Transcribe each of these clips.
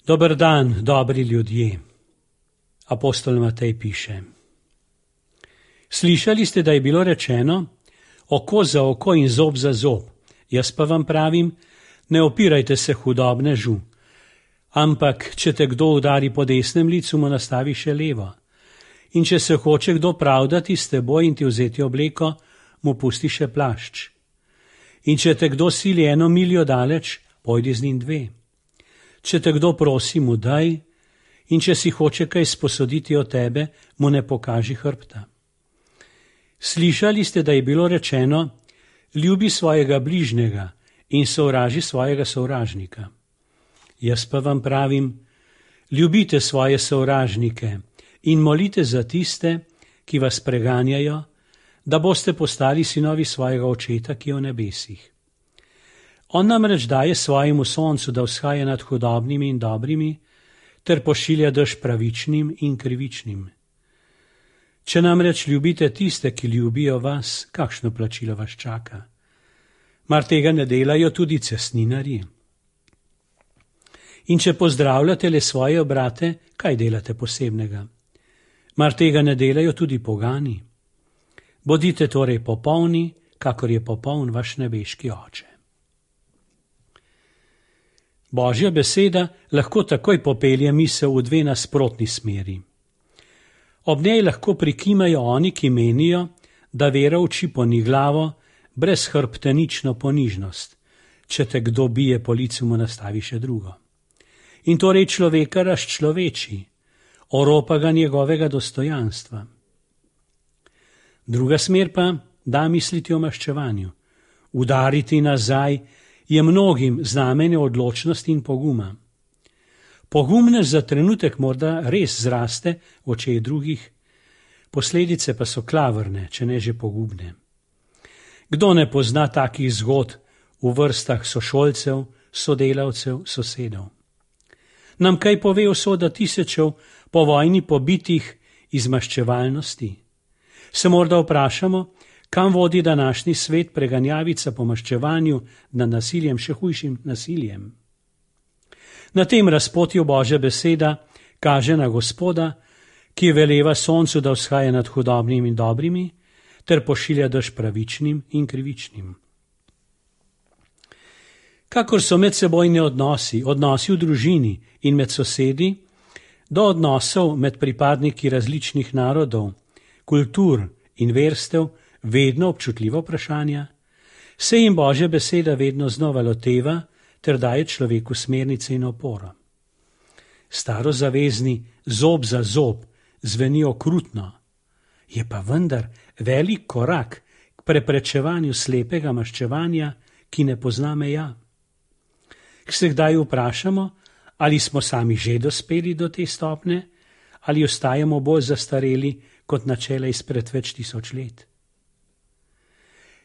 Dober dan, dobri ljudje. Apostol Matej piše. Slišali ste, da je bilo rečeno, oko za oko in zob za zob. Jaz pa vam pravim, ne opirajte se hudobnežu. Ampak, če te kdo udari po desnem licu, mu nastavi še levo. In če se hoče kdo pravdati s teboj in ti vzeti obleko, mu pusti še plašč. In če te kdo sili 1 miljo daleč, pojdi z njim 2. Če te kdo prosi, mu daj, in če si hoče kaj sposoditi od tebe, mu ne pokaži hrbta. Slišali ste, da je bilo rečeno, ljubi svojega bližnjega in sovraži svojega sovražnika. Jaz pa vam pravim, ljubite svoje sovražnike in molite za tiste, ki vas preganjajo, da boste postali sinovi svojega očeta, ki je v nebesih. On namreč daje svojemu soncu, da vzhaja nad hudobnimi in dobrimi, ter pošilja dež pravičnim in krivičnim. Če namreč ljubite tiste, ki ljubijo vas, kakšno plačilo vas čaka? Mar tega ne delajo tudi cestninarji? In če pozdravljate le svoje brate, kaj delate posebnega? Mar tega ne delajo tudi pogani? Bodite torej popolni, kakor je popoln vaš nebeški oče. Božja beseda lahko takoj popelje misel v 2 nasprotni smeri. Ob njej lahko prikimajo oni, ki menijo, da vera uči poniglavo, brezhrbtenično ponižnost. Če te kdo bije po licu, mu nastavi še drugo. In torej človeka razčloveči, oropa ga njegovega dostojanstva. Druga smer pa da misliti o maščevanju. Udariti nazaj je mnogim znamenje odločnosti in poguma. Pogumnež za trenutek morda res zraste v očeh drugih, posledice pa so klavrne, če ne že pogubne. Kdo ne pozna takih zgodb v vrstah sošolcev, sodelavcev, sosedov? Nam kaj pove usoda tisočev po vojni pobitih iz maščevalnosti? Se morda vprašamo, kam vodi današnji svet preganjavica po maščevanju nad nasiljem, še hujšim nasiljem? Na tem razpotju Božja beseda kaže na Gospoda, ki veleva soncu, da vzhaja nad hudobnimi in dobrimi, ter pošilja dež pravičnim in krivičnim. Kakor so medsebojni odnosi v družini in med sosedi, do odnosov med pripadniki različnih narodov, kultur in verstev vedno občutljivo vprašanja, se jim Božja beseda vedno znova loteva ter daje človeku smernice in oporo. Starozavezni zob za zob zveni okrutno, je pa vendar velik korak k preprečevanju slepega maščevanja, ki ne pozna meja. Se kdaj vprašamo, ali smo sami že dospeli do te stopne, ali ostajamo bolj zastareli kot načela izpred več tisoč let.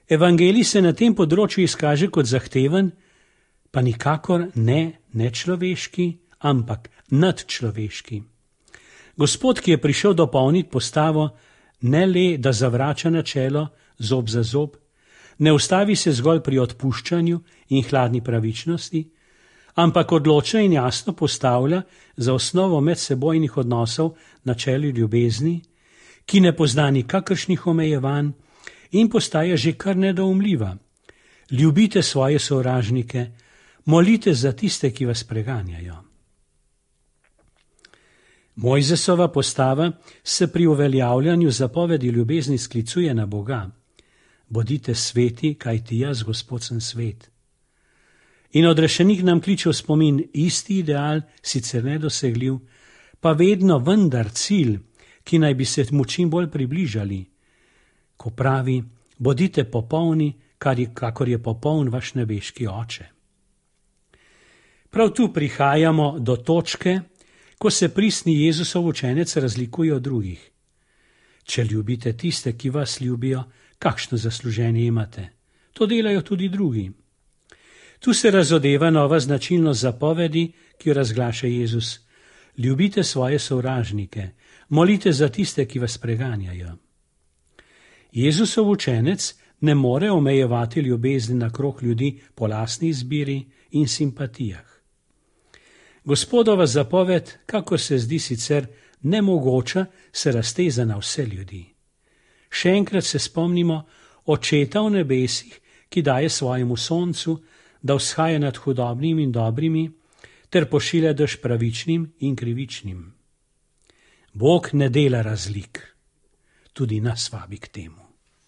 Evangelij se na tem področju izkaže kot zahteven, pa nikakor ne nečloveški, ampak nadčloveški. Gospod, ki je prišel dopolniti postavo, ne le, da zavrača načelo zob za zob, ne ustavi se zgolj pri odpuščanju in hladni pravičnosti, ampak odločno in jasno postavlja za osnovo medsebojnih odnosov načelo ljubezni, ki ne pozna nikakršnih omejevanj in postaja že kar nedoumljiva. Ljubite svoje sovražnike, molite za tiste, ki vas preganjajo. Mojzesova postava se pri uveljavljanju zapovedi ljubezni sklicuje na Boga. Bodite sveti, kajti jaz, Gospod, sem svet. In odrešenik nam kliče v spomin isti ideal, sicer nedosegljiv, pa vedno vendar cilj, ki naj bi se mu čim bolj približali, ko pravi, bodite popolni, kakor je popoln vaš nebeški oče. Prav tu prihajamo do točke, ko se pristni Jezusov učenec razlikuje od drugih. Če ljubite tiste, ki vas ljubijo, kakšno zasluženje imate? To delajo tudi drugi. Tu se razodeva nova značilnost zapovedi, ki jo razglaša Jezus. Ljubite svoje sovražnike, molite za tiste, ki vas preganjajo. Jezusov učenec ne more omejevati ljubezni na krog ljudi po lastni izbiri in simpatijah. Gospodova zapoved, kakor se zdi sicer nemogoča, se razteza na vse ljudi. Še enkrat se spomnimo Očeta v nebesih, ki daje svojemu soncu, da vzhaja nad hudobnimi in dobrimi, ter pošilja dež pravičnim in krivičnim. Bog ne dela razlik, tudi nas vabi k temu.